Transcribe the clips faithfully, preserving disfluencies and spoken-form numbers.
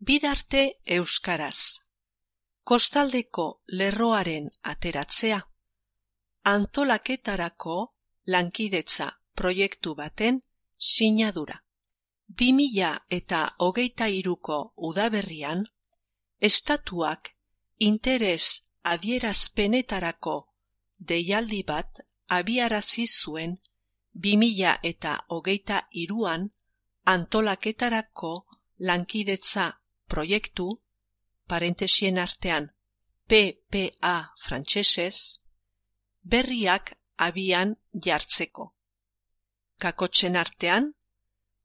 Bidarte euskaraz. Kostaldeko lerroaren ateratzea. Antolaketarako lankidetza proiektu baten sinadura. bi mila eta hogeita hiruko udaberrian, estatuak interes adierazpenetarako deialdi bat abiarazi zuen bi mila eta hogeita hiruan antolaketarako lankidetza proiektu, parentesien artean P P A frantsesez, berriak abian jartzeko. Kakotxen artean,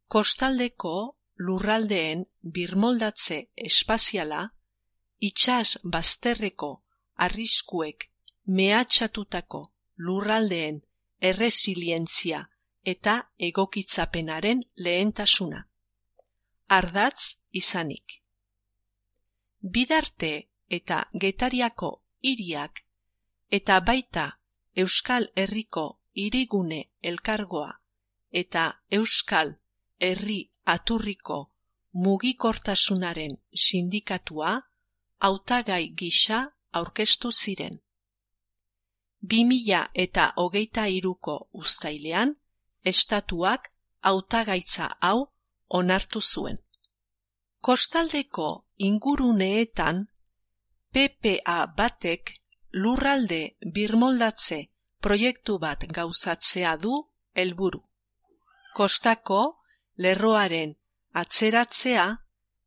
kostaldeko lurraldeen birmoldatze espaziala, itsas bazterreko arriskuek mehatxatutako lurraldeen erresilientzia eta egokitzapenaren lehentasuna. Ardatz izanik. Bidarte eta Getariako hiriak eta baita Euskal Herriko hirigune elkargoa eta Euskal Herri Aturriko mugikortasunaren sindikatua hautagai gisa aurkeztu ziren. bi mila eta hogeita hiruko uztailean, estatuak hautagaitza hau onartu zuen. Kostaldeko inguruneetan P P A batek lurralde birmoldatze proiektu bat gauzatzea du helburu. Kostako lerroaren atzeratzea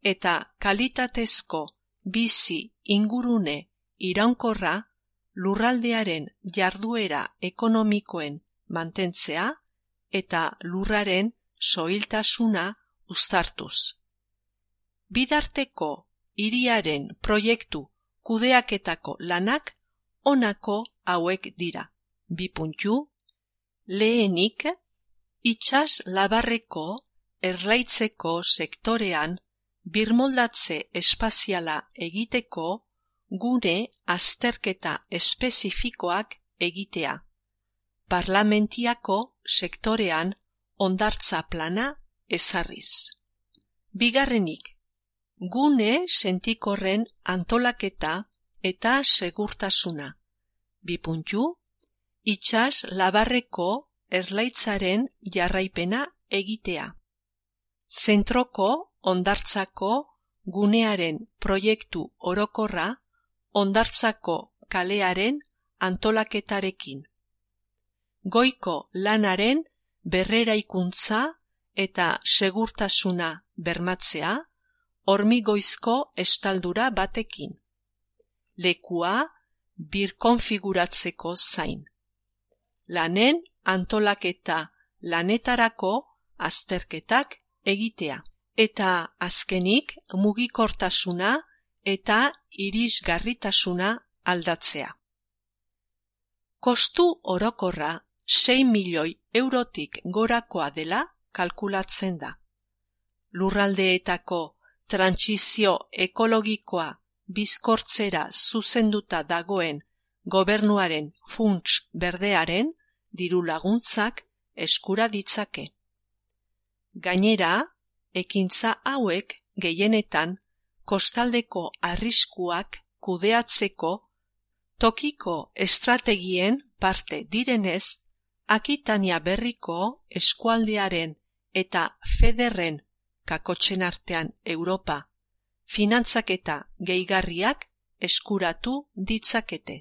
eta kalitatezko bizi ingurune iraunkorra lurraldearen jarduera ekonomikoen mantentzea eta lurraren soiltasuna uztartuz. Bidarteko hiriaren proiektu kudeaketako lanak honako hauek dira. Bi puntu, lehenik, itsas labarreko erlaitzeko sektorean birmoldatze espaziala egiteko gune azterketa espezifikoak egitea. Parlamentiako sektorean hondartza plana ezarriz. Bigarrenik, gune sentikorren antolaketa eta segurtasuna. Bi puntu, itsas labarreko erlaitzaren jarraipena egitea. Zentroko hondartzako gunearen proiektu orokorra hondartzako kalearen antolaketarekin. Goiko lanaren berreraikuntza eta segurtasuna bermatzea hormigoizko estaldura batekin. Lekua birkonfiguratzeko zain. Lanen antolaketa lanetarako azterketak egitea. Eta azkenik mugikortasuna eta irisgarritasuna aldatzea. Kostu orokorra sei milioi eurotik gorakoa dela kalkulatzen da. Lurraldeetako trantsizio ekologikoa bizkortzera zuzenduta dagoen gobernuaren funts berdearen diru laguntzak eskura ditzake. Gainera, ekintza hauek gehienetan kostaldeko arriskuak kudeatzeko tokiko estrategien parte direnez, Akitania berriko eskualdearen eta federren kakotxen artean Europa finantzaketa gehigarriak eskuratu ditzakete.